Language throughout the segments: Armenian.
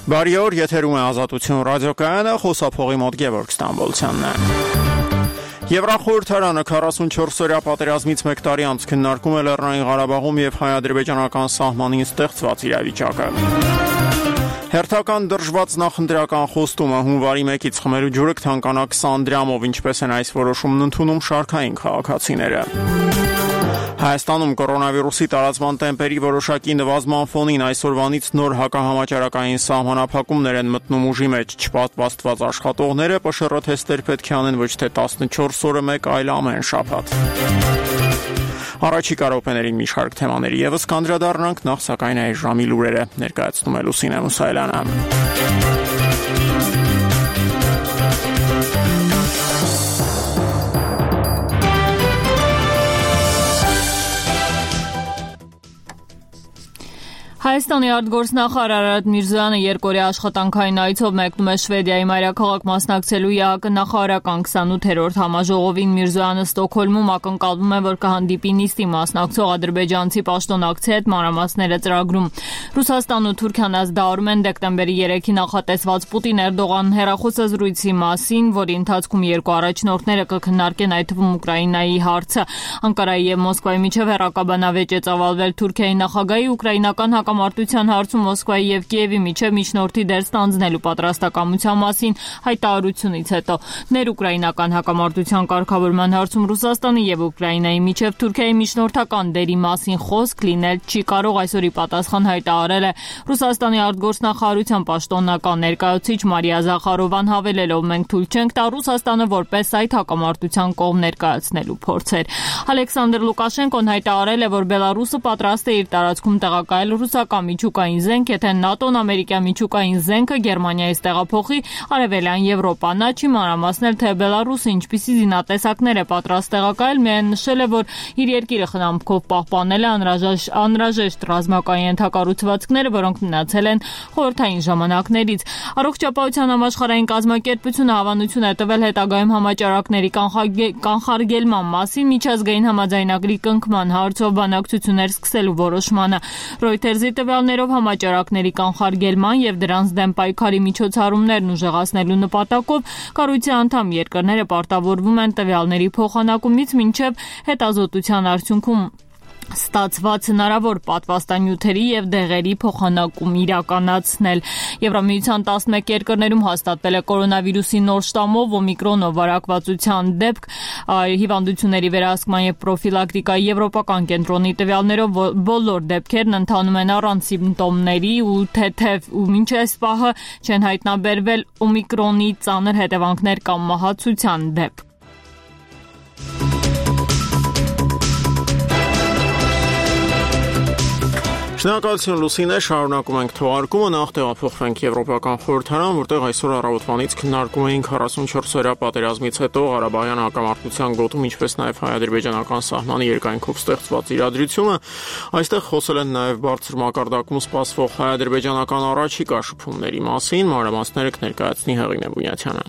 Բարի օր, եթերում է Ազատություն ռադիոկայանը, խոսափողի մոտ Գևորգ Ստամբոլցյանն է։ Եվրախորհրդարանը 44-օրյա պատերազմից 1 տարի անց քննարկում է Լեռնային Ղարաբաղում եւ հայ-ադրբեջանական սահմանին ստեղծված իրավիճակը։ Հերթական դրժված նախընտրական խոստումը հունվարի 1-ից խմելու ջուրը կթանկանա 20 դրամով, ինչպես են այս որոշումն ընդունում շարքային քաղաքացիները։ Հայաստանում կորոնավիրուսի տարածման տեմպերի որոշակի նվազման ֆոնին այսօրվանից նոր հակահամաճարակային սահմանափակումներ են մտնում ուժի մեջ, չպատվաստված աշխատողները ՊՇՌ թեստեր պետք է անեն ոչ թե 14 օրը մեկ, այլ ամեն շաբաթ։ Առաջիկա րոպեներին մի շարք թեմաների եւս կանդրադառնանք, նախ սակայն այս ժամի լուրերը ներկայացնում է Լուսինե Մուսայելյանը։ Հայաստանի արտգործնախարար Արարատ Միրզոյանը երկօրյա աշխատանքային այցով մեկնում է Շվեդիայի մայրաքաղաք մասնակցելու ԵԱԿ նախարարական 28-րդ համաժողովին։ Միրզոյանը Ստոկհոլմում ակնկալվում է, որ կհանդիպի նիստի մասնակցող ադրբեջանցի պաշտոնակցի հետ, մանրամասները ծրագրում։ Ռուսաստանն ու Թուրքիան ազդարում են դեկտեմբերի 3-ին նախատեսված Պուտին-Էրդողան հեռախոսազրույցի մասին, որի ընթացքում երկու առաջնորդները կքննարկեն այդ թվում Ուկրաինայի հարցը։ Անկարայի եւ Մոսկվայի միջև հեռակաբանավեճ է ծավալվել Թուրքիայի նախագահի ուկրաինական հակամարտության հարցում Մոսկվայի եւ Կիևի միջև միջնորդի դեր ստանձնելու պատրաստակամության մասին հայտարարությունից հետո ներուկրաինական հակամարտության կարգավորման հարցում Ռուսաստանի եւ Ուկրաինայի միջև Թուրքիայի միջնորդական դերի մասին խոսք լինել չի կարող, այսօրի պատասխան հայտարարել է Ռուսաստանի արտգործնախարարության պաշտոնական ներկայացուցիչ Մարիա Զախարովան, հավելելով մենք թույլ չենք տա Ռուսաստանը որպես այդ հակամարտության կողմ ներկայացնելու փորձեր։ Ալեքսանդր Լուկաշենկոն հայտարարել է, որ Բելարուսը պատրաստ է իր տարածքում տեղակայել ռուսական միջուկային զենք, եթե ՆԱՏՕ-ն ամերիկյան միջուկային զենքը Գերմանիայից տեղափոխի Արևելյան Եվրոպա։ Նա չի մանրամասնել, թե Բելարուսը ինչպիսի զինատեսակներ է պատրաստ տեղակայել, միայն նշել է, որ իր երկիրը խնամքով պահպանել է անհրաժեշտ ռազմական ենթակառուցվածքները, որոնք մնացել են խորհրդային ժամանակներից։ Առողջապահության համաշխարհային կազմակերպությունը հավանություն է տվել հետագայում համաճարակների կանխարգելման մասին միջազգային համաձայնագրի կնքման հարցով բանակցություններ սկսելու որոշմանը։ Reuters-ի տվյալներով համաճարակների կանխարգելման եւ դրանց դեմ պայքարի միջոցառումներն ուժեղացնելու նպատակով կառույցի անդամ երկրները պարտավորվում են տվյալների փոխանակումից մինչեւ հետազոտության արդյունքում ստացված հնարավոր պատվաստանյութերի եւ դեղերի փոխանակում իրականացնել։ Եվրամիության 11 երկրներում հաստատվել է կորոնավիրուսի նոր շտամով օմիկրոնով վարակվածության դեպք։ Հիվանդությունների վերահսկման եւ պրոֆիլակտիկայի եվրոպական կենտրոնի տվյալներով բոլոր դեպքերն ընթանում են առանց սիմպտոմների ու թեթև ու մինչ այս պահը չեն հայտնաբերվել օմիկրոնի ծանր հետևանքներ կամ մահացության դեպք։ Շնորհակալություն Լուսինե, շարունակում ենք թողարկումը, նախ տեղափոխվենք Եվրոպական խորհրդարան, որտեղ այսօր առավոտվանից քննարկում էինք 44-օրյա պատերազմից հետո Ղարաբաղյան հակամարտության գոտում, ինչպես նաև հայ-ադրբեջանական սահմանի երկայնքով ստեղծված իրադրությունը։ Այստեղ խոսել են նաև բարձր մակարդակում սպասվող հայ-ադրբեջանական առաջիկա շփումների մասին, մանրամասները կներկայացնի Հեղինե Բունյաթյանը։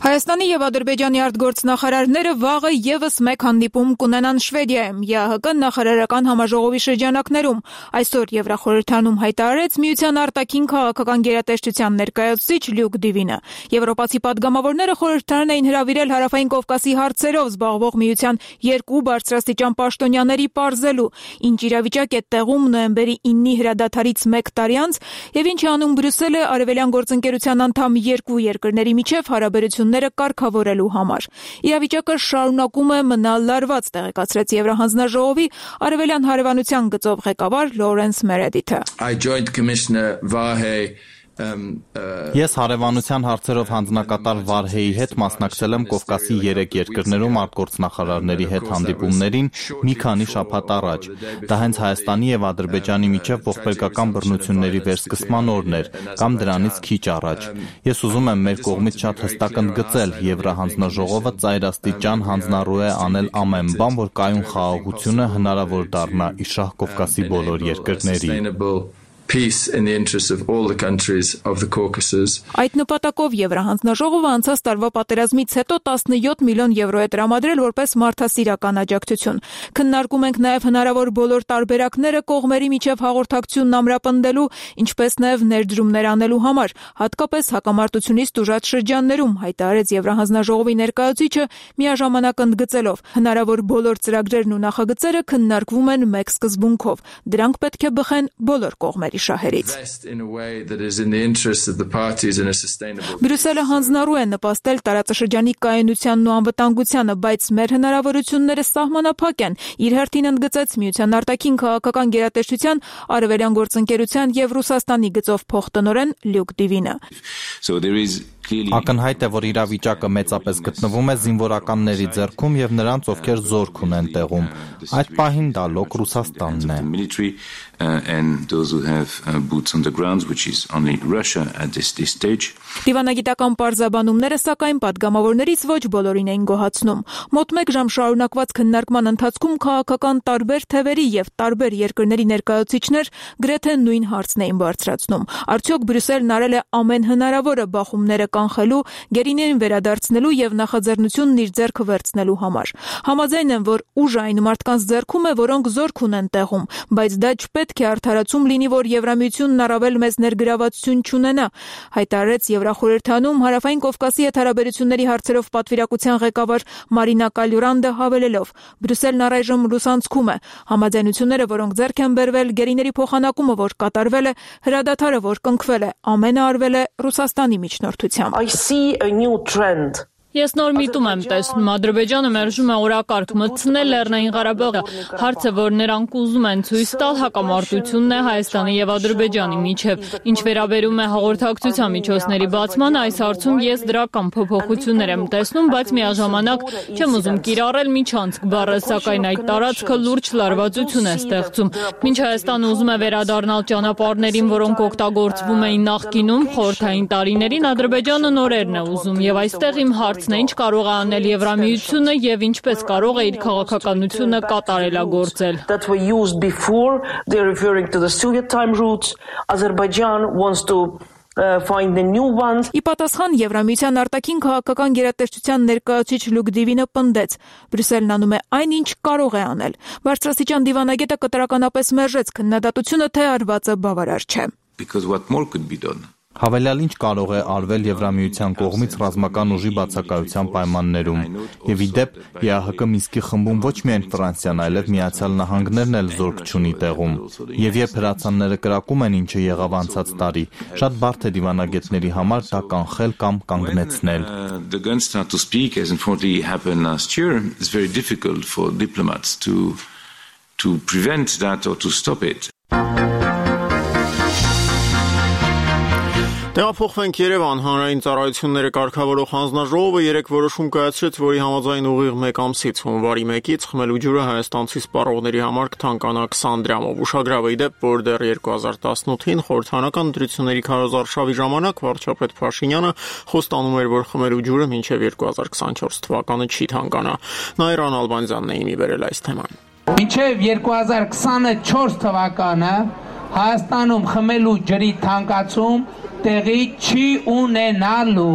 Հայաստանի եւ Ադրբեջանի արտգործնախարարները վաղը եւս մեկ հանդիպում կունենան Շվեդիայում ԵԱՀԿ նախարարական համաժողովի շրջանակներում։ Այսօր Եվրախորհրդարանում հայտարարեց Միության արտաքին քաղաքական գերատեսչության ներկայացուցիչ Լյուկ Դիվինը։ Եվրոպացի падգամավորները խորհրդարան էին հրավիրել Հարավային Կովկասի հարցերով զբաղվող Միության երկու բարձրաստիճան պաշտոնյաների պարզելու, ինչ իրավիճակ է տեղում նոյեմբերի 9-ի հրադադարից 1 տարի անց եւ ինչ անում Բրյուսելը արևելյան գործընկերության անդամ երկու երկրների միջև հարաբերությունները կարգավորելու համար։ Իրավիճակը շարունակում է մնալ լարված, տեղեկացրեց Եվրահանձնաժողովի արևելյան հարևանության գծով ղեկավար Լորենս Մերեդիթը։ Ես հարևանության հարցերով հանձնակատար Վարհեի հետ մասնակցել եմ Կովկասի 3 երկրներում արտգործնախարարների հետ հանդիպումներին մի քանի շաբաթ առաջ։ Դա հենց Հայաստանի եւ Ադրբեջանի միջև ողբերգական բռնությունների վերսկսման օրն էր կամ դրանից քիչ առաջ։ Ես ուզում եմ մեր կողմից շատ հստակ ընդգծել, Եվրահանձնաժողովը ծայրաստիճան հանձնառու է անել ամեն բան, որ կայուն խաղաղությունը հնարավոր դառնա Իշխող Կովկասի բոլոր երկրների։ peace in the interests of all the countries of the Caucasus. Այդ նպատակով Եվրահանձնաժողովը անցած տարվա պատերազմից հետո 17 միլիոն եվրո է տրամադրել որպես մարդասիրական աջակցություն։ Քննարկում ենք նաև հնարավոր բոլոր տարբերակները կողմերի միջև հաղորդակցությունն ամրապնդելու, ինչպես նաև ներդրումներ անելու համար, հատկապես հակամարտությունից տուժած շրջաններում, հայտարարեց Եվրահանձնաժողովի ներկայացուցիչը միաժամանակ ընդգծելով. հնարավոր բոլոր ծրագրերն ու նախագծերը քննարկվում են մեկ սկզբունքով։ Դրանք պետք է բխեն բոլոր կողմերի շահերից։ Բրյուսելը հանձնառու է նպաստել տարածաշրջանի կայունությանն ու անվտանգությանը, բայց մեր հնարավորությունները սահմանափակ են, իր հերթին ընդգծեց Միության արտաքին քաղաքական գերատեսչության արևելյան գործընկերության եւ Ռուսաստանի գծով փոխտնօրեն Լյուկ Դիվինը։ Ակնհայտ է, որ իրավիճակը մեծապես գտնվում է զինվորականների ձեռքում եւ նրանց, ովքեր զորք ունեն տեղում։ Այդ պահին դա լոկ Ռուսաստանն է։ Դիվանագիտական պարզաբանումները, սակայն, պատգամավորներից ոչ բոլորին էին գոհացնում։ Մոտ 1 ժամ շարունակված քննարկման ընթացքում քաղաքական տարբեր թևերի եւ տարբեր երկրների ներկայացուցիչներ գրեթե նույն հարցն էին բարձրացնում. արդյոք Բրյուսելն արել է ամեն հնարավորը բախումները կանխելու, գերիներին վերադարձնելու եւ նախաձեռնությունն իր ձեռքը վերցնելու համար։ Համաձայն են, որ ուժը այն մարդկանց ձեռքում է, որոնք զորք ունեն տեղում, բայց դա չպետք է արդարացում լինի, որ Եվրամիությունն առավել մեծ ներգրավվածություն չունենա, հայտարարեց Եվրախորհրդանում Հարավային Կովկասի հետ հարաբերությունների հարցերով պատվիրակության ղեկավար Մարինա Կալյուրանդը հավելելով. Բրյուսելն առայժմ լուսանցքում է։ Համաձայնությունները, որոնք ձեռք են բերվել, գերիների փոխանակումը, որ կատարվել է, հրադադարը, որ կնքվել է, ամենը արվել է Ռուսաստանի միջնորդությամբ։ I see a new trend. Ես նոր միտում եմ տեսնում, Ադրբեջանը մերժում է օրակարգ մտցնել Լեռնային Ղարաբաղը, հարցը, որ նրանք ուզում են ցույց տալ հակամարտությունն է Հայաստանի եւ Ադրբեջանի միջև։ Ինչ վերաբերում է հաղորդակցության միջոցների բացմանը, այս հարցում ես դրական փոփոխություններ եմ տեսնում, բայց միաժամանակ չեմ ուզում կիրառել միջանցք բառը, սակայն այդ տարածքը լուրջ լարվածություն է ստեղծում։ Մինչ Հայաստանը ուզում է վերադառնալ ճանապարհներին, որոնք օգտագործվում էին նախկինում, խորհրդային տարիներին, Ադրբեջանը նորերն է ուզում եւ այստեղ իմ հարցն է, ինչ կարող է անել Եվրամիությունը եւ ինչպես կարող է իր քաղաքականությունը կատարելագործել։ That were used before, they're referring to the Soviet time routes. Azerbaijan wants to find the new ones. Ի պատասխան Եվրամիության արտաքին քաղաքական գերատեսչության ներկայացուցիչ Լյուկ Դիվինը պնդեց. Բրյուսելն անում է այն, ինչ կարող է անել։ Բարձրաստիճան դիվանագետը կտրականապես մերժեց քննադատությունը, թե արվածը բավարար չէ։ Because what more could be done? Հավելյալ ինչ կարող է արվել Եվրամիության կողմից ռազմական ուժի բացակայության պայմաններում։ Եվ ի դեպ, ԵԱՀԿ Մինսկի խմբում ոչ միայն Ֆրանսիան, այլև Միացյալ Նահանգներն էլ զորք չունի տեղում։ Եվ երբ հրացանները կրակում են, ինչը եղավ անցած տարի, շատ բարդ է դիվանագետների համար դա կանխել կամ կանգնեցնել։ The guns start to speak, as unfortunately happened last year, it's very difficult for diplomats to prevent that or to stop it. Տեղափոխվենք Երևան, հանրային ծառայությունները կարգավորող հանձնաժողովը երեկ որոշում կայացրեց, որի համաձայն ուղիղ 1 ամսից հունվարի 1-ից խմելու ջուրը հայաստանցի սպառողների համար կթանկանա 20 դրամով։ Ուշագրավ է դեպ, որ դեռ 2018-ին խորհրդանական ընտրությունների քարոզարշավի ժամանակ վարչապետ Փաշինյանը խոստանում էր, որ խմելու ջուրը մինչև 2024 թվականը չի թանկանա։ Նաիրան Ալբանյանն է իմի վերել այս թեման։ Մինչև 2024 թվականը Հայաստանում խմելու ջրի թանկացում տեղի չի ունենալու։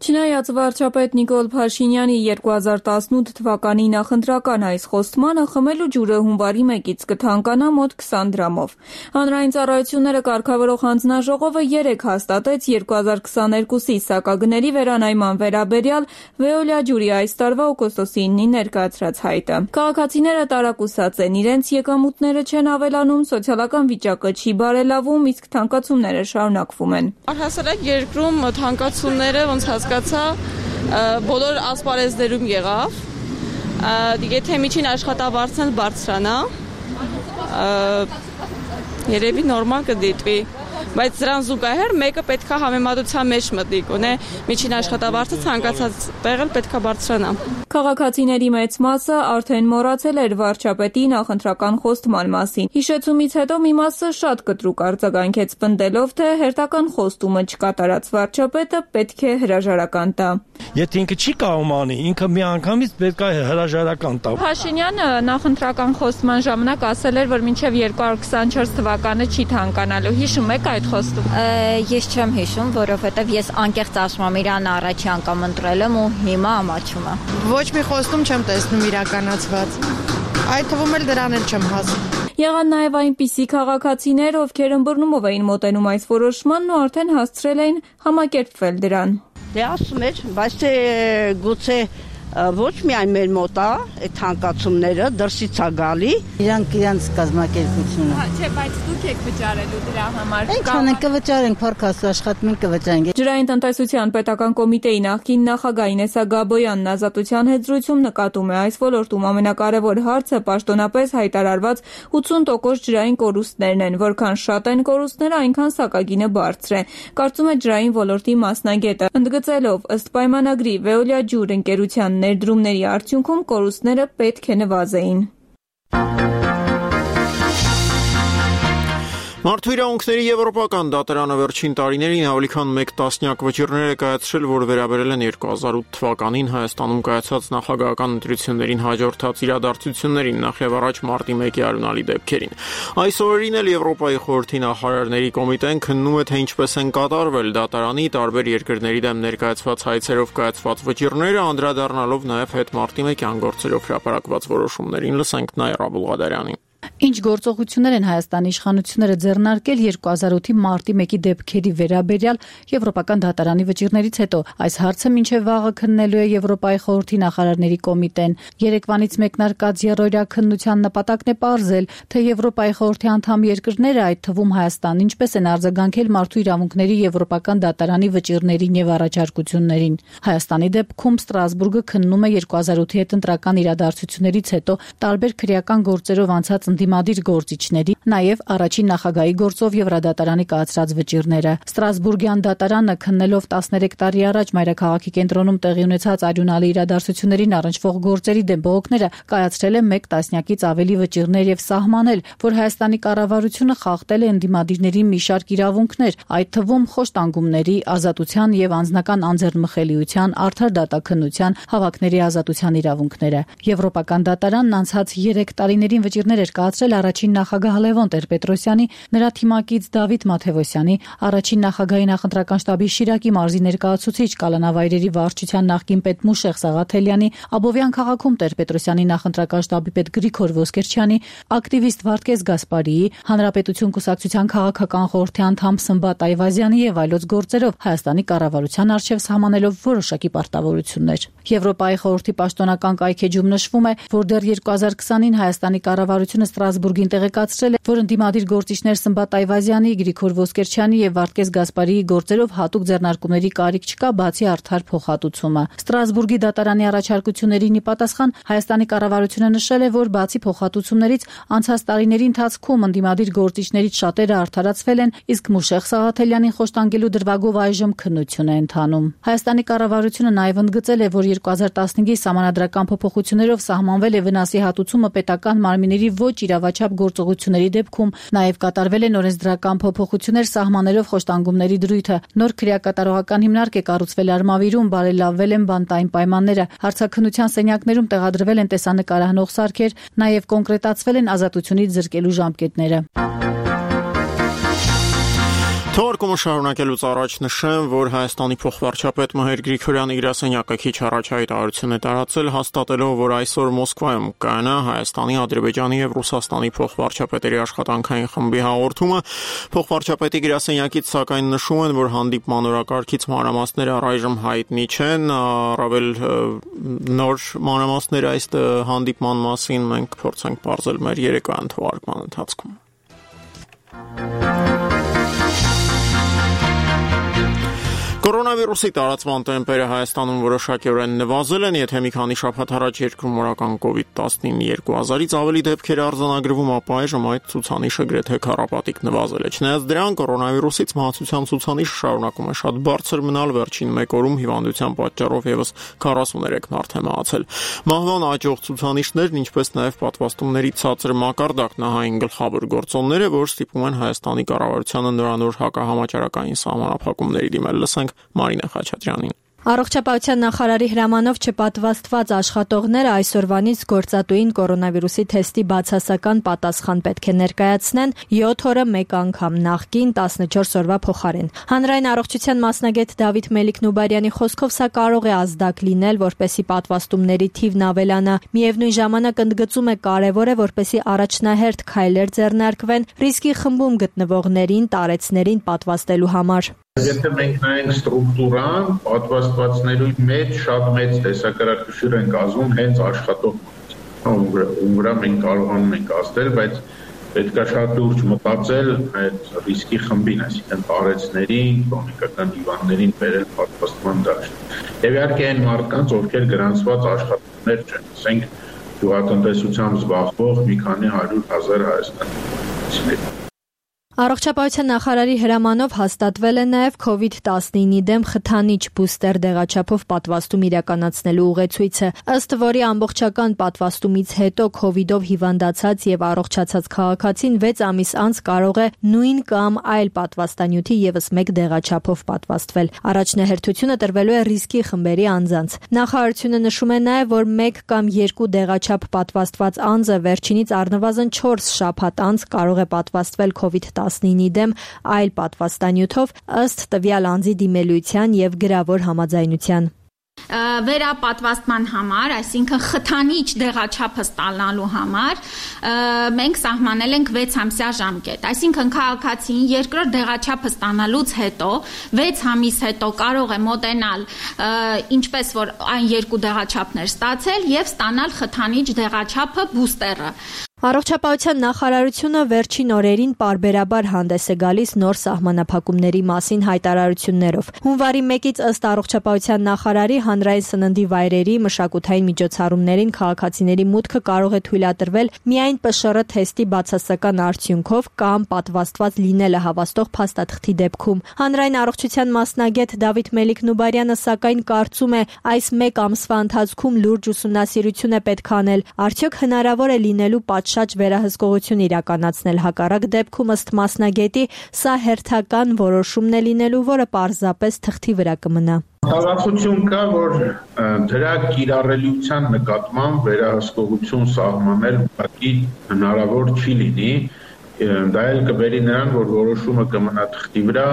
Չնայած վարչապետ Նիկոլ Փաշինյանի 2018 թվականի նախընտրական այս խոստմանը, խմելու ջուրը հունվարի 1-ից կթանկանա մոտ 20 դրամով։ Հանրային ծառայությունները կարգավորող հանձնաժողովը երեկ հաստատեց 2022-ի սակագների վերանայման վերաբերյալ Վեոլիա ջուրի այս տարվա օգոստոսի 9-ին ներկայացրած հայտը։ Քաղաքացիները տարակուսած են, իրենց եկամուտները չեն ավելանում, սոցիալական վիճակը չի բարելավում, իսկ թանկացումները շարունակվում են։ Առհասարակ երկրում թանկացումները ոնց բոլոր ասպարեզներում եղավ, եթե միջին աշխատավարձն էլ բարձրանա, երևի նորմալ կդիտվի, բայց դրան զուգահեռ մեկը պետքա համեմատության մեջ մտնի, գոնե միջին աշխատավարձը ցանկացած տեղել պետքա բարձրանա։ Քաղաքացիների մեծ մասը արդեն մոռացել էր վարչապետի նախընտրական խոստման մասին։ Հիշեցումից հետո մի մասը շատ կտրուկ արձագանքեց, պնդելով, թե հերթական խոստումը չկատարած վարչապետը պետք է հրաժարական տա։ Եթե ինքը չի կարող անի, ինքը մի անգամից պետք է հրաժարական տա։ Փաշինյանը նախընտրական խոստման ժամանակ ասել էր, որ մինչև 2024 թվականը չի թանկանալու։ Հիշում եք այդ խոստումը։ Ես չեմ հիշում, որովհետև ես անկեղծ ասում եմ, իրան առաջի անգամ ընտրել եմ ու հիմա ամաչում եմ։ Ոչ մի խոստում չեմ տեսնում իրականացված։ Այդ թվում էլ դրան էլ չեմ հասնում։ Եղան նաև այնպիսի քաղաքացիներ, ովքեր ըմբռնումով էին մոտենում այս որոշմանն ու արդեն հասցրել էին համակերպվել դրան։ Դե ասում էր, բայց թե գուցե ոչ միայն մեր մոտ է այդ հանկացումները դրսից է գալի, իրանց կազմակերպությունը։ Չէ, բայց դուք եք վճարելու դրա համար։ Ինչքան ենք կվճարենք, փառքաստու աշխատում ենք կվճարենք։ Ջրային տնտեսության պետական կոմիտեի նախկին նախագահ Ինեսա Գաբոյանն Ազատության հետ զրույցում նկատում է այս ոլորտում ամենակարևոր հարցը պաշտոնապես հայտարարված 80% ջրային կորուստներն են, որքան շատ են կորուստները, այնքան սակագինը բարձր է։ Կարծում է ջրային ոլորտի մասնագետը, ընդգծելով ըստ պայմանագրի Veolia ջուր ընկերության ներդրումների արդյունքում կորուստները պետք է նվազեին։ Մարդու իրավունքների եվրոպական դատարանը վերջին տարիներին ավելի քան 1 տասնյակ վճիռներ է կայացրել, որ վերաբերել են 2008 թվականին Հայաստանում կայացած նախագահական ընտրություններին հաջորդած իրադարձություններին, նախև առաջ մարտի 1-ի արյունալի դեպքերին։ Այս օրերին էլ Եվրոպայի խորհրդի նախարարների կոմիտեն քննում է, թե ինչպես են կատարվել դատարանի տարբեր երկրների դեմ ներկայացված հայցերով կայացված վճիռները, անդրադառնալով նաև հետմարտի 1-յան գործերով հրապարակված որոշումներին։ Լսենք Նայր Աբուլղադարյանին։ Ինչ գործողություններ են Հայաստանի իշխանությունները ձեռնարկել 2008-ի մարտի 1-ի դեպքերի վերաբերյալ Եվրոպական դատարանի վճիռներից հետո։ Այս հարցը մինչև վաղը քննելու է Եվրոպայի խորհրդի նախարարների կոմիտեն։ Երեկվանից մեկնարկած երրորդյա քննության նպատակն է պարզել, թե Եվրոպայի խորհրդի անդամ երկրները, այդ թվում Հայաստանն, ինչպես են արձագանքել մարդու իրավունքների Եվրոպական դատարանի վճիռներին եւ առաջարկություններին։ Հայաստանի դեպքում Ստրասբուրգը քննում է 2008-ի հետընտրական իրադարձություններից հետո տարբեր քրեական գործերով անցած ընդդիմադիր գործիչների, նաև առաջին նախագահի գործով Եվրադատարանի կայացրած վճիռները։ Ստրասբուրգյան դատարանը քննելով 13 տարի առաջ մայրաքաղաքի կենտրոնում տեղի ունեցած արյունալի իրադարձություններին առնչվող գործերի դեմ բողոքները կայացրել է 1 տասնյակից ավելի վճիռներ եւ սահմանել, որ Հայաստանի կառավարությունը խախտել է ընդդիմադիրների մի շարք իրավունքներ, այդ թվում խոշտանգումների, ազատության եւ անձնական անձեռնմխելիության, արդար դատաքննության, հավաքների ազատության իրավունքները։ Եվրոպական դատարանն անցած 3 տարիներին վճիռներ էր կայացրել առաջին նախագահ Լևոն Տեր-Պետրոսյանի, նրա թիմակից Դավիթ Մաթևոսյանի, առաջին նախագահի նախընտրական շտաբի Շիրակի մարզի ներկայացուցիչ Կալանավայրերի վարչության նախկին պետ Մուշեղ Սաղաթելյանի, Աբովյան քաղաքում Տեր-Պետրոսյանի նախընտրական շտաբի պետ Գրիգոր Ոսկերչյանի, ակտիվիստ Վարդգես Գասպարիի, Հանրապետություն կուսակցության քաղաքական խորհրդի անդամ Սմբատ Այվազյանի եւ այլոց գործերով Հայաստանի կառավարության առջև սահմանելով որոշակի պարտավորություններ։ Եվրոպայի խորհրդի պաշտոնական կայքեջում նշվում է, որ դեռ 2020-ին Հայաստանի կառավարությունը Ստրասբուրգին տեղեկացրել է, որ ընդդիմադիր գործիչներ Սմբատ Այվազյանի, Գրիգոր Ոսկերչյանի եւ Վարդգես Գասպարիի գործերով հատուկ ձեռնարկումների կարիք չկա, բացի արդար փոխհատուցումը։ Ստրասբուրգի դատարանի առաջարկություններին ի պատասխան Հայաստանի կառավարությունը նշել է, որ բացի փոխհատուցումներից անցած տարիների ընթացքում ընդդիմադիր գործիչներից շատերը արդարացվել են, իսկ Մուշեղ Սաղաթելյանին խոշտանգելու դրվագով այժմ քննություն է ընթանում։ Հայաստանի կառավարությունը նաև ընդգծել է, որ 2015-ի սահմանադրական փոփոխություններով սահմանվել է վնասի հատուցումը պետական մարմինների ոչ իրավաչափ գործողությունների դեպքում, նաև կատարվել են օրենսդրական փոփոխություններ սահմանելով խոշտանգումների դրույթը։ Նոր քրեակատարողական հիմնարկ է կառուցվել Արմավիրում, բարելավվել են բանտային պայմանները, հարցաքննության սենյակներում տեղադրվել են տեսանկարահանող սարքեր, նաև կոնկրետացվել են ազատությունից զրկելու ժամկետները։ Թողարկումը շարունակելուց առաջ նշեմ, որ Հայաստանի փոխվարչապետ Մհեր Գրիգորյանը գրասենյակը քիչ առաջ հայտարարություն է տարածել, հաստատելով, որ այսօր Մոսկվայում կայանա Հայաստանի, Ադրբեջանի եւ Ռուսաստանի փոխվարչապետերի աշխատանքային խմբի հաղորդումը։ Փոխվարչապետի գրասենյակից սակայն նշում են, որ հանդիպման օրակարգից մանրամասները առայժմ հայտնի չեն, առավել նոր մանրամասներ այս հանդիպման մասին մենք փորձենք բարձել մեր երեկոյան թողարկման ընթացքում։ Կորոնավիրուսի տարածման տեմպերը Հայաստանում որոշակիորեն նվազել են, եթե մի քանի շաբաթ առաջ երկրում օրական COVID-19 2000-ից ավելի դեպքեր արձանագրվում, ապա այժմ այդ ցուցանիշը գրեթե քառապատիկ նվազել է։ Չնայած դրան, կորոնավիրուսից մահացության ցուցանիշը շարունակում է շատ բարձր մնալ, վերջին մեկ օրում հիվանդության պատճառով եւս 43 մարդ է մահացել։ Մահվան աճող ցուցանիշներն, ինչպես նաեւ պատվաստումների ցածր մակարդակն այն գլխավոր գործոնները, որ ստիպում են Հայաստանի կառավարությանը նորանոր հակահամաճարակային սահմանափակումների դիմել։ Լսենք Մարինե Խաչատրյանին։ Առողջապահության նախարարի հրամանով չպատվաստված աշխատողները այսօրվանից գործատուին կորոնավիրուսի թեստի բացասական պատասխան պետք է ներկայացնեն 7 օրը մեկ անգամ, նախկին 14 օրվա փոխարեն։ Հանրային առողջության մասնագետ Դավիթ Մելիք-Նուբարյանի խոսքով սա կարող է ազդակ լինել, որպեսզի պատվաստումների թիվն ավելանա։ Միևնույն ժամանակ ընդգծում է կարևոր է, որպեսզի առաջնահերթ քայլեր ձեռնարկվեն ռիսկի խմբում գտնվողներին, տարեցներին պատվաստելու համար։ Եթե մենք նայենք ստրուկտուրան, պատվաստվածների մեջ շատ մեծ տեսակարարություն են կազմում հենց աշխատողները, ում վրա մենք կարողանում ենք ազդել, բայց պետք է շատ լուրջ մտածել այդ ռիսկի խմբին, այսինքն տարեցներին, քրոնիկական հիվանդներին բերել պատվաստման դաշտ։ Եվ իհարկե այն մարդկանց, ովքեր գրանցված աշխատողներ չեն, ասենք գյուղատնտեսությամբ զբաղվող մի քանի 100,000 հայաստանցիներ։ Առողջապահության նախարարի հրամանով հաստատվել է նաև COVID-19-ի դեմ խթանիչ բուստեր դեղաչափով պատվաստում իրականացնելու ուղեցույցը, ըստ որի ամբողջական պատվաստումից հետո COVID-ով հիվանդացած եւ առողջացած քաղաքացին 6 ամիս անց կարող է նույն կամ այլ պատվաստանյութի եւս մեկ դեղաչափով պատվաստվել։ Առաջնահերթությունը տրվելու է ռիսկի խմբերի անձանց։ Նախարարությունը նշում է նաև, որ 1 կամ 2 դեղաչափ պատվաստված անձը վերջինից առնվազն 4 շաբաթ անց կարող է պատվաստվել COVID-19-ի դեմ այլ պատվաստանյութով ըստ տվյալ անձի դիմելույթյան եւ գրավոր համաձայնության։ Վերապատվաստման համար, այսինքն խթանիչ դեղաչափը ստանալու համար մենք սահմանել ենք 6 ամսյա ժամկետ, այսինքն քաղաքացին երկրորդ դեղաչափը ստանալուց հետո 6 ամիս հետո կարող է մոտենալ ինչպես որ այն երկու դեղաչափներ ստացել եւ ստանալ խթանիչ դեղաչափը բուստերը։ Առողջապահության նախարարությունը վերջին օրերին պարբերաբար հանդես է գալիս նոր սահմանափակումների մասին հայտարարություններով։ Հունվարի 1-ից ըստ առողջապահության նախարարի հանրային սննդի վայրերի մշակութային միջոցառումներին քաղաքացիների մուտքը կարող է թույլատրվել միայն ՊՇՌ թեստի բացասական արդյունքով կամ պատվաստված լինելը հավաստող փաստաթղթի դեպքում։ Հանրային առողջության մասնագետ Դավիթ Մելիք-Նուբարյանը սակայն կարծում է, այս մեկ ամսվա ընթացքում լուրջ ուսումնասիրություն է պետք անել, արդյոք հնարավոր է լինելու շատ վերահսկողություն իրականացնել, հակառակ դեպքում ըստ մասնագետի սա հերթական որոշումն է լինելու, որը պարզապես թղթի վրա կմնա։ Հավանություն կա, որ դրա կիրառելիության նկատմամբ վերահսկողություն սահմանել ուղղակի հնարավոր չի լինի։ Դա էլ կբերի նրան, որ որոշումը կմնա թղթի վրա,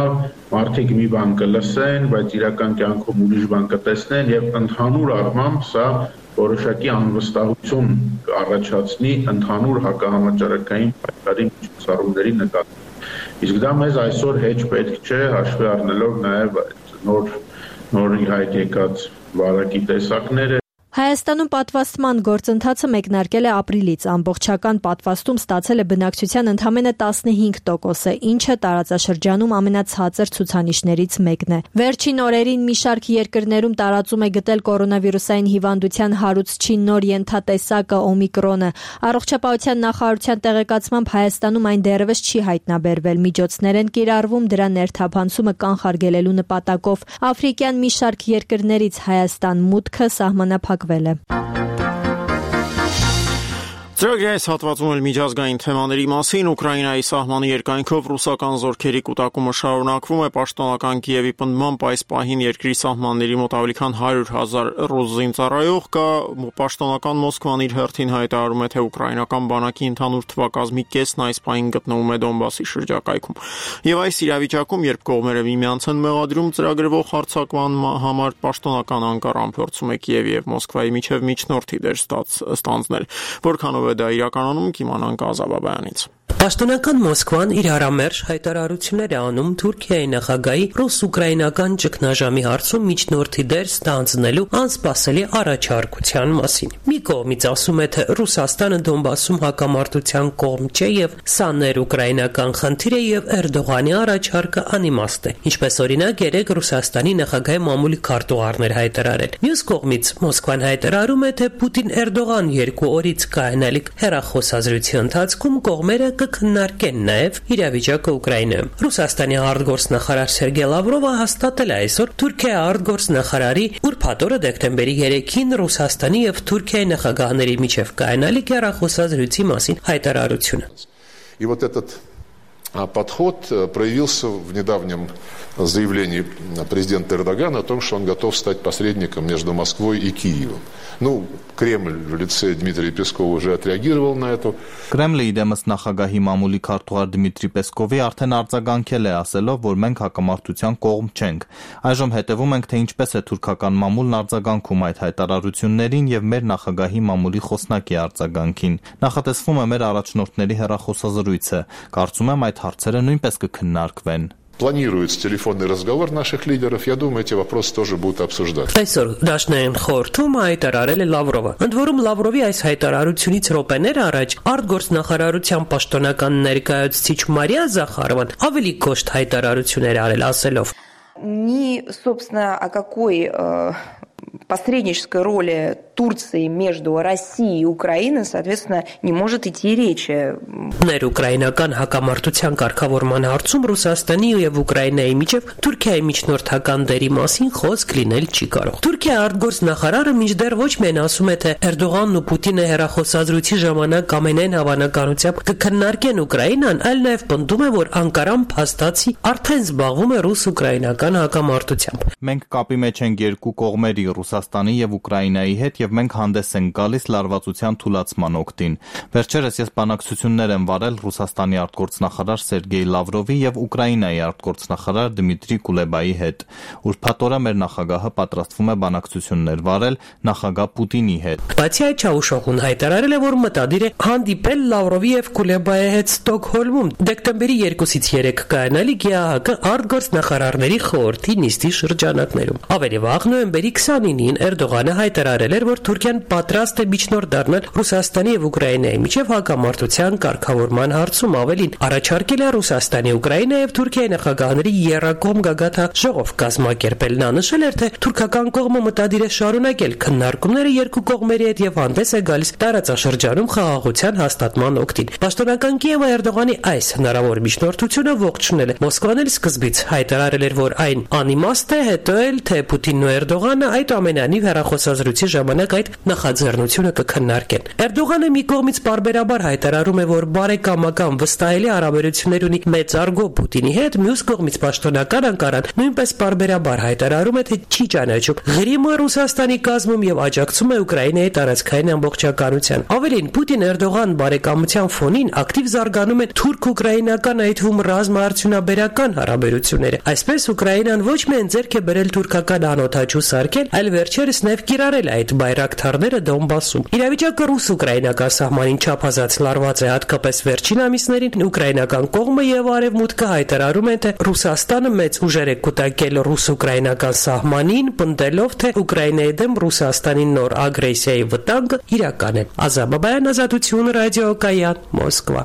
մարդիկ մի բան կլսեն, բայց իրական կյանքում ուրիշ բան կտեսնեն եւ ընդհանուր առմամբ սա որոշակի անվստահություն կառաջացնի ընդհանուր հակահամաճարակային պայքարի միջոցառումների նկատմամբ։ Իսկ դա մեզ այսօր հեչ պետք չէ, հաշվի առնելով նաև նոր հայտ եկած վարակի տեսակները։ Հայաստանում պատվաստման գործընթացը մեկնարկել է ապրիլից, ամբողջական պատվաստում ստացել է բնակչության ընդամենը 15%-ը, ինչը տարածաշրջանում ամենացածր ցուցանիշներից մեկն է։ Վերջին օրերին մի շարք երկրներում տարածում է գտել կորոնավիրուսային հիվանդության հարուցչի նոր ենթատեսակը օմիկրոնը։ Առողջապահության նախարարության տեղեկացմամբ Հայաստանում այն դեռևս չի հայտնաբերվել, միջոցներ են կիրառվում դրա ներթափանցումը կանխարգելելու նպատակով։ Աֆրիկյան մի շարք երկրներից Հայաստան մուտքը սահմանափակվել է։ Ծրագրի այս հատվածում էլ միջազգային թեմաների մասին Ուկրաինայի սահմանի երկայնքով ռուսական զորքերի կուտակումը շարունակվում է պաշտոնական Կիևի պնդմամբ այս պահին երկրի սահմանների մոտ ավելի քան 100,000 ռուս զինծառայող կա, պաշտոնական Մոսկվան իր հերթին հայտարարում է, թե ուկրաինական բանակի ընդհանուր թվակազմի կեսն այս պահին գտնվում է Դոնբասի շրջակայքում։ Եւ այս իրավիճակում, երբ կողմերը միմյանց են մեղադրում ծրագրվող հարձակման համար, պաշտոնական Անկարան փորձում է Կիևի եւ Մոսկվայի միջև միջնորդի դեր ստանձնել, որքանով դա իրականանում կիմանանք Ազաբաբայանից։ Պաշտոնական Մոսկվան իր հարամերժ հայտարարություններ է անում Թուրքիայի նախագահի ռուս-ուկրաինական ճգնաժամի հարցում միջնորդի դեր ստանձնելու անսպասելի առաջարկության մասին։ Մի կողմից ասում է, թե Ռուսաստանը Դոնբասում հակամարտության կողմ չէ եւ սա ներ-ուկրաինական խնդիր է եւ Էրդողանի առաջարկը անիմաստ է, ինչպես օրինակ երեք Ռուսաստանի նախագահի մամուլի քարտուղարներ հայտարարել։ Մյուս կողմից Մոսկվան հայտարարում է, թե Պուտին-Էրդողան 2 օրից կայանալիք հեռախոսազրույցի ընթացքում կողմերը կքննարկեն նաև իրավիճակը Ուկրաինայում։ Ռուսաստանի արտգործնախարար Սերգեյ Լավրովը հաստատել է այսօր Թուրքիայի արտգործնախարարի ուրբաթ օրը դեկտեմբերի 3-ին Ռուսաստանի եւ Թուրքիայի նախագահների միջև կայանալիք հեռախոսազրույցի մասին հայտարարությունը։ И вот этот подход проявился в недавнем заявлении президента Эрдогана о том, что он готов стать посредником между Москвой и Киевом. Ну, Кремль в лице Дмитрия Пескова уже отреагировал на это. Կրեմլը իդեմս նախագահի մամուլի քարտուղար Դմիտրի Պեսկովի արդեն արձագանքել է ասելով, որ մենք հակամարտության կողմ չենք։ Այժմ հետևում ենք, թե ինչպես է թուրքական մամուլն արձագանքում այդ հայտարարություններին եւ մեր նախագահի мамուլի խոսնակի արձագանքին։ Նախատեսվում է մեր առաջնորդների հեռախոսազրույցը։ Կարծում եմ այդ հարցերը նույնպես կքննարկվեն։ Планируется телефонный разговор наших лидеров. Я думаю, эти вопросы тоже будут обсуждаться. Այսօր դաշնային խորհրդում հայտարարել է Լավրովը։ Ընդ որում Լավրովի այս հայտարարությունից րոպեներ առաջ արտգործնախարարության պաշտոնական ներկայացուցիչ Մարիա Զախարովան ավելի կոշտ հայտարարություններ արել ասելով. Ни, собственно, о какой посреднической роли Турции между Россией и Украиной, соответственно, не может идти речи. Ներուկրաինական հակամարտության կարգավորման հարցում Ռուսաստանի եւ Ուկրաինայի միջև Թուրքիայի միջնորդական դերի մասին խոսք լինել չի կարող։ Թուրքիայի արտգործնախարարը մինչդեռ ոչ միայն ասում է, թե Էրդողանն ու Պուտինը հեռախոսազրույցի ժամանակ ամենայն հավանականությամբ կքննարկեն Ուկրաինան, այլ նաեւ պնդում է, որ Անկարան փաստացի արդեն զբաղվում է ռուս-ուկրաինական հակամարտությամբ։ Մենք կապի մեջ ենք երկու կողմերի Ռուսաստանի եւ Ուկրաինայի հետ եւ մենք հանդես ենք գալիս լարվածության թուլացման օգտին։ Վերջերս ես բանակցություններ եմ վարել Ռուսաստանի արտգործնախարար Սերգեյ Լավրովի եւ Ուկրաինայի արտգործնախարար Դմիտրի Կուլեբայի հետ։ Ուրբաթ օրը մեր նախագահը պատրաստվում է բանակցություններ վարել նախագահ Պուտինի հետ։ Բացի այդ Չաուշօղուն հայտարարել է, որ մտադիր է հանդիպել Լավրովի եւ Կուլեբայի հետ Ստոկհոլմում դեկտեմբերի 2-ից 3 կայանալի ԳԱՀԿ արտգործնախարարների խորհրդի նիստի շրջանակներում։ Ավելի վաղ նոյեմբերի 29-ին Էրդողանը հայտարարել էր, որ Թուրքիան պատրաստ է միջնորդ դառնալ Ռուսաստանի եւ Ուկրաինայի միջև հակամարտության կարգավորման հարցում, ավելին առաջարկել է Ռուսաստանի, Ուկրաինայի եւ Թուրքիայի նախագահների եռակողմ գագաթնաժողով կազմակերպել։ Նա նշել էր, թե թուրքական կողմը մտադիր է շարունակել քննարկումները երկու կողմերի հետ եւ հանդես է գալիս տարածաշրջանում խաղաղության հաստատման օգտին։ Պաշտոնական Կիևը Էրդողանի այս հնարավոր միջնորդությունը ողջունել է։ Մոսկվան էլ սկզբից հայտարարել էր, որ այն անիմաստ է, հետո էլ թե Պուտինն ու Էրդողանը այդ ամենանիվ հեռախոսազրույցի ժամանակ այդ նախաձեռնությունը կքննարկեն։ Էրդողանը մի կողմից պարբերաբար հայտարարում է, որ բարեկամական վստահելի հարաբերություններ ունի մեծարգո Պուտինի հետ, մյուս կողմից պաշտոնական Անկարան նույնպես պարբերաբար հայտարարում է, թե չի ճանաչում Ղրիմը Ռուսաստանի կազմում եւ աջակցում է Ուկրաինայի տարածքային ամբողջականության։ Ավելին Պուտին-Էրդողան բարեկամության ֆոնին ակտիվ զարգանում են թուրք-ուկրաինական այդ հում ռազմաարդյունաբերական հարաբերությունները։ Այսպես Ուկրաինան ոչ միայն ձեռք է բերել թուրքական անօթաչու սարքել, այլ վերջերս նաև կիրառել այդ բայրակթարները Դոնբասում։ Իրավիճակը ռուս-ուկրաինական սահմանին չափազանց լարված է, հատկապես վերջին ամիսներին ուկրաինական կողմը եւ արևմուտքը հայտարարում են, թե Ռուսաստանը մեծ ուժեր է կուտակել ռուս-ուկրաինական սահմանին, պնդելով, թե Ուկրաինայի դեմ Ռուսաստանի նոր ագրեսիայի վտանգը իրական է։ Ազատ Բաբայան, Ազատություն, ռադիոկայան, Մոսկվա։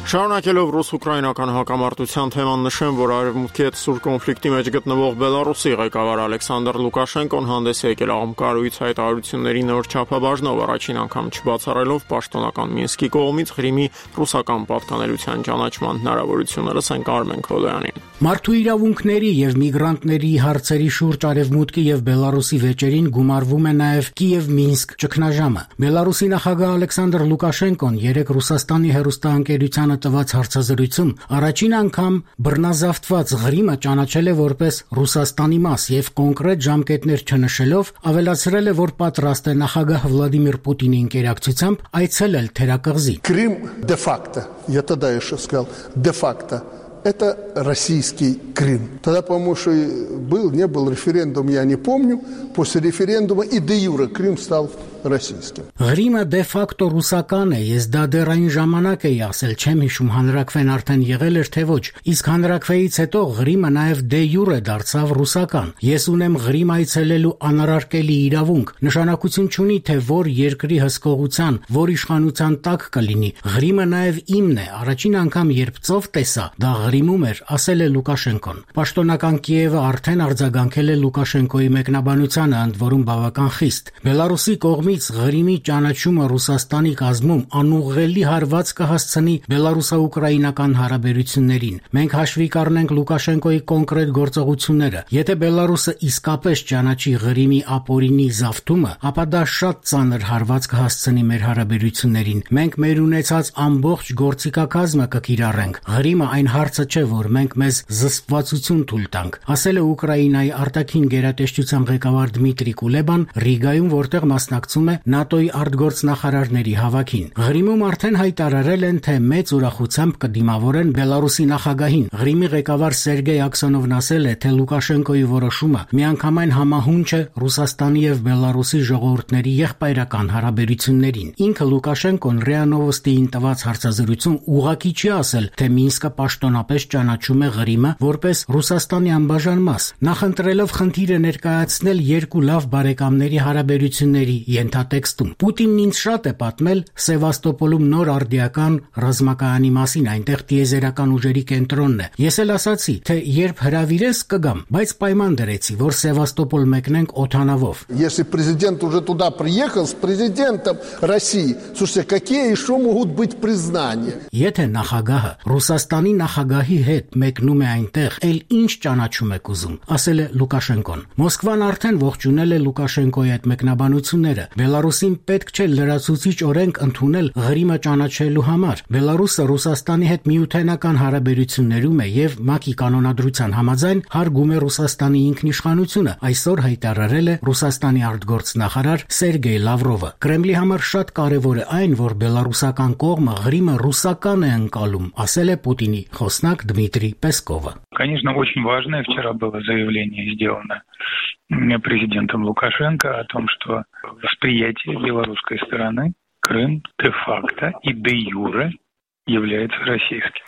Շարունակելով ռուս-ուկրաինական հակամարտության թեման նշեմ, որ արևմուտքի հետ սուր կոնֆլիկտի մեջ գտնվող Բելարուսի ղեկավար Ալեքսանդր Լուկաշենկոն հանդես է եկել աղմկարույց հայտարարությունների նոր չափաբաժնով, առաջին անգամ չբացառելով պաշտոնական Մինսկի կողմից Ղրիմի ռուսական պատկանելիության ճանաչման հնարավորությունը։ Լսենք Արմեն Քոլոյանին։ Մարդու իրավունքների եւ միգրանտների հարցերի շուրջ արևմուտքի եւ Բելարուսի վեճերին գումարվում է նաեւ Կիև-Մինսկ ճգնաժամը։ Բելարուսի նախագահ Ալեքսանդր Լուկաշենկոն երեք Ռուսաստանի հեռուստաընկերությանը տված հարցազրույցում առաջին անգամ բռնազավթված Ղրիմը ճանաչել է որպես Ռուսաստանի մաս եւ կոնկրետ ժամկետներ չնշելով ավելացրել է, որ պատրաստ է նախագահ Վլադիմիր Պուտինի ընկերակցությամբ այցելել թերակղզի։ Крым де-факто, я тогда еще сказал, де-факто это российский Крым. Тогда, по-моему, что был, не был референдум, я не помню. После референдума и де юре Крым стал российским. Ղրիմը դե ֆակտո ռուսական է, ես դա դեռ այն ժամանակ էի ասել, չեմ հիշում հանրաքվեն արդեն եղել էր թե ոչ, իսկ հանրաքվեից հետո Ղրիմը նաև դե յուրե դարձավ ռուսական։ Ես ունեմ Ղրիմ այցելելու անարարկելի իրավունք, նշանակություն չունի, թե որ երկրի հսկողության, որ իշխանության տակ կլինի, Ղրիմը նաև իմն է, առաջին անգամ երբ ծով տեսա, դա Ղրիմում էր, ասել է Լուկաշենկոն։ Պաշտոնական Կիևը արդեն արձագանքել է Լուկաշենկոյի մեկնաբանությանը, ընդ որում բավական խիստ։ Բելարուսի կողմից Ղրիմի ճանաչումը Ռուսաստանի կազմում անուղղելի հարված կհասցնի բելարուսա-ուկրաինական հարաբերություններին։ Մենք հաշվի կառնենք Լուկաշենկոյի կոնկրետ գործողությունները։ Եթե Բելարուսը իսկապես ճանաչի Ղրիմի ապօրինի զավթումը, ապա դա շատ ծանր հարված կհասցնի մեր հարաբերություններին։ Մենք մեր ունեցած ամբողջ գործիքակազմը կկիրառենք։ Ղրիմը այն հարցը չէ, որ մենք մեզ զսպվածություն թույլ տանք, ասել է Ուկրաինայի արտաքին գերատեսչության ղեկավար Դմիտրի Կուլեբան Ռիգայում, որտեղ մասնակցում է ՆԱՏՕ-ի արտգործնախարարների հավաքին։ Ղրիմում արդեն հայտարարել են, թե մեծ ուրախությամբ կդիմավորեն Բելարուսի նախագահին։ Ղրիմի ղեկավար Սերգեյ Աքսոնովն ասել է, թե Լուկաշենկոյի որոշումը միանգամայն համահունչ է Ռուսաստանի եւ Բելարուսի ժողովուրդների եղբայրական հարաբերություններին։ Ինքը Լուկաշենկոն ՌԻԱ Նովոստիին տված հարցազրույցում ուղղակի չի ասել, թե Մինսկը պաշտոնապես ճանաչում է Ղրիմը որպես Ռուսաստանի անբաժան մաս, նախընտրելով խնդիրը ներկայացնել երկու լավ բարեկամների հարաբերությունների ենթատեքստում։ Պուտինն ինձ շատ է պատմել Սևաստոպոլում նոր արդիական ռազմակայանի մասին, այնտեղ տիեզերական ուժերի կենտրոնն է։ Ես էլ ասացի, թե երբ հրավիրես կգամ, բայց պայման դրեցի, որ Սևաստոպոլ մեկնենք օթանավով։ Если президент уже туда приехал с президентом России, слушайте, какие еще могут быть признания? Եթե նախագահը Ռուսաստանի նախագահի հետ մեկնում է այնտեղ, ել ինչ ճանաչում եք ուզում, ասել է Լուկաշենկոն։ Մոսկվան արդեն ողջունել է Լուկաշենկոյի այդ մեկնաբանությունները։ Բելարուսին պետք չէ լրացուցիչ օրենք ընդունել Ղրիմը ճանաչելու համար։ Բելարուսը Ռուսաստանի հետ միութենական հարաբերություններում է եւ ՄԱԿ-ի կանոնադրության համաձայն հարգում է Ռուսաստանի ինքնիշխանությունը, այսօր հայտարարել է Ռուսաստանի արտգործնախարար Սերգեյ Լավրովը։ Կրեմլի համար շատ կարևոր է այն, որ բելարուսական կողմը Ղրիմը ռուսական է ընկալում, ասել է Պուտինի խոսնակ Դմիտրի Պեսկովը։ Конечно, очень важное вчера было заявление сделано президентом Лукашенко о том, что восприятие белорусской стороны Крым де-факто и де-юре является российским.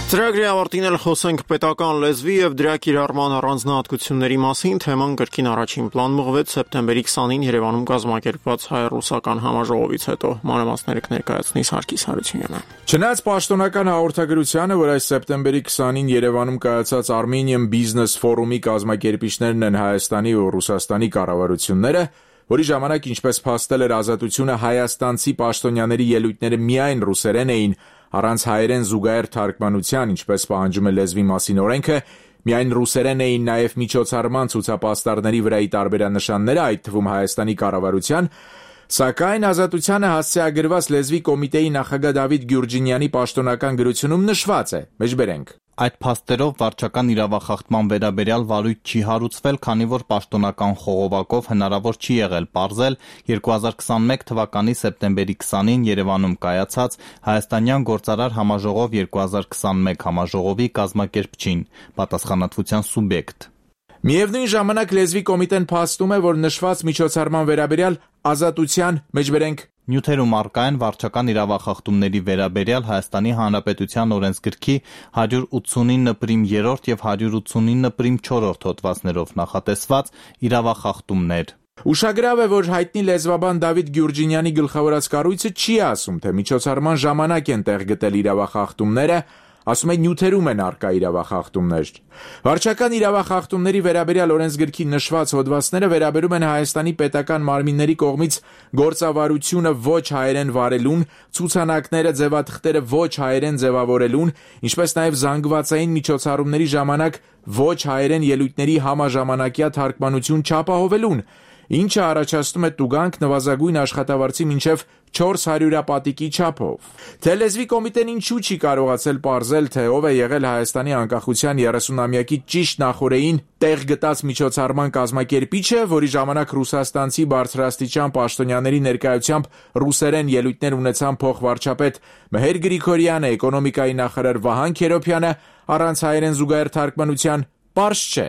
Ծրագրի ավարտին էլ խոսենք պետական լեզվի եւ դրա կիրառման առանձնահատկությունների մասին, թեման կրկին առաջին պլան մղվեց սեպտեմբերի 20-ին Երևանում կազմակերպված հայ-ռուսական համաժողովից հետո։ Մանրամասները կներկայացնի Սարգիս Հարությունյանը։ Չնայած պաշտոնական հաղորդագրությանը, որ այս սեպտեմբերի 20-ին Երևանում կայացած Armenian Business Forum-ի կազմակերպիչներն են Հայաստանի ու Ռուսաստանի կառավարությունները, որի ժամանակ, ինչպես փաստել էր Ազատությունը, հայաստանցի պաշտոնյաների ելույթները միայն ռուսերեն էին, առանց հայերեն զուգահեռ թարգմանության, ինչպես պահանջում է լեզվի մասին օրենքը, միայն ռուսերեն էին նաև միջոցառման ցուցապաստառների վրայի տարբերանշանները, այդ թվում Հայաստանի կառավարության, սակայն Ազատությանը հասցեագրված լեզվի կոմիտեի նախագահ Դավիթ Գյուրջինյանի պաշտոնական գրությունում նշված է. Մեջբերենք. Այդ փաստերով վարչական իրավախախտման վերաբերյալ վարույթ չի հարուցվել, քանի որ պաշտոնական խողովակով հնարավոր չի եղել պարզել 2021 թվականի սեպտեմբերի 20-ին Երևանում կայացած Հայաստանյան գործարար համաժողով 2021 համաժողովի կազմակերպչին, պատասխանատվության սուբյեկտ։ Միևնույն ժամանակ լեզվի կոմիտեն փաստում է, որ նշված միջոցառման վերաբերյալ Ազատության, մեջբերենք, նյութերում առկա են վարչական իրավախախտումների վերաբերյալ Հայաստանի Հանրապետության օրենսգրքի 189.3 եւ 189.4 հոդվածներով նախատեսված իրավախախտումներ։ Ուշագրավ է, որ հայտնի լեզվաբան Դավիթ Գյուրջինյանի գլխավորած կառույցը չի ասում, թե միջոցառման ժամանակ են տեղ գտել իրավախախտումները, ասում է նյութերում են առկա իրավախախտումներ։ Վարչական իրավախախտումների վերաբերյալ օրենսգրքի նշված հոդվածները վերաբերում են Հայաստանի պետական մարմինների կողմից գործավարությունը ոչ հայերեն վարելուն, ցուցանակները, ձևաթղթերը ոչ հայերեն ձևավորելուն, ինչպես նաև զանգվածային միջոցառումների ժամանակ ոչ հայերեն ելույթների համաժամանակյա թարգմանություն չապահովելուն, ինչը առաջացնում է տուգանք նվազագույն աշխատավարձի մինչև 400 պատիկի չափով։ Թե լեզվի կոմիտեն ինչու չի կարողացել պարզել, թե ով է եղել Հայաստանի անկախության 30-ամյակի ճիշտ նախօրեին տեղ գտած միջոցառման կազմակերպիչը, որի ժամանակ ռուսաստանցի բարձրաստիճան պաշտոնյաների ներկայությամբ ռուսերեն ելույթներ ունեցան փոխվարչապետ Մհեր Գրիգորյանը, էկոնոմիկայի նախարար Վահան Քերոբյանը, առանց հայերեն զուգահեռ թարգմանության, պարզ չէ։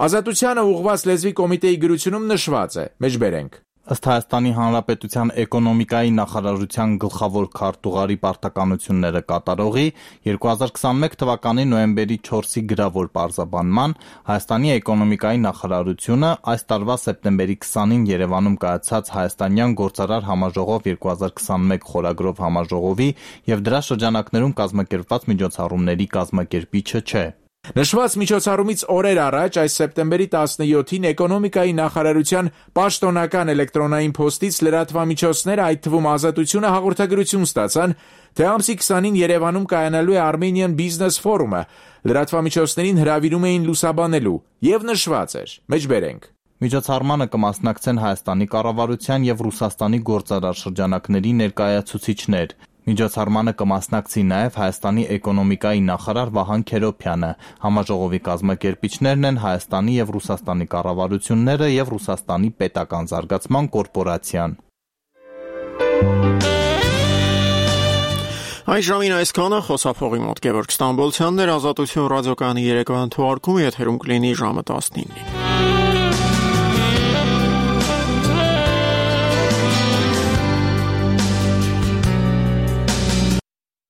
Ազատությանը ուղղված լեզվի կոմիտեի գրությունում նշված է. մեջբերենք. Ըստ Հայաստանի Հանրապետության էկոնոմիկայի նախարարության գլխավոր քարտուղարի պարտականությունները կատարողի 2021 թվականի նոյեմբերի 4-ի գրավոր պարզաբանման Հայաստանի էկոնոմիկայի նախարարությունը այս տարվա սեպտեմբերի 20-ին Երևանում կայացած Հայաստանյան գործարար համաժողով 2021 խորագրով համաժողովի եւ դրա շրջանակներում կազմակերպված միջոցառումների կազմակերպիչը չէ։ Նշված միջոցառումից օրեր առաջ այս սեպտեմբերի 17-ին էկոնոմիկայի նախարարության պաշտոնական էլեկտրոնային փոստից լրատվամիջոցները, այդ թվում Ազատությունը, հաղորդագրություն ստացան, թե ամսի 20-ին Երևանում կայանալու է Armenian Business Forum-ը, լրատվամիջոցներին հրավիրում էին լուսաբանելու, եւ նշված էր. մեջբերենք. Միջոցառմանը կմասնակցեն Հայաստանի կառավարության եւ Ռուսաստանի գործարար շրջանակների ներկայացուցիչներ։ Միջոցառմանը կմասնակցի նաև Հայաստանի էկոնոմիկայի նախարար Վահան Քերոփյանը։ Համաժողովի կազմակերպիչներն են Հայաստանի եւ Ռուսաստանի կառավարությունները եւ Ռուսաստանի պետական զարգացման կորպորացիան։ Այս ժամին այսքանը խոսափողի մոտ Գևորգ Ստամբոլցյանն էր, Ազատություն ռադիոկայանի երեկոյան թողարկումը եթերում կլինի ժամը 19-ին։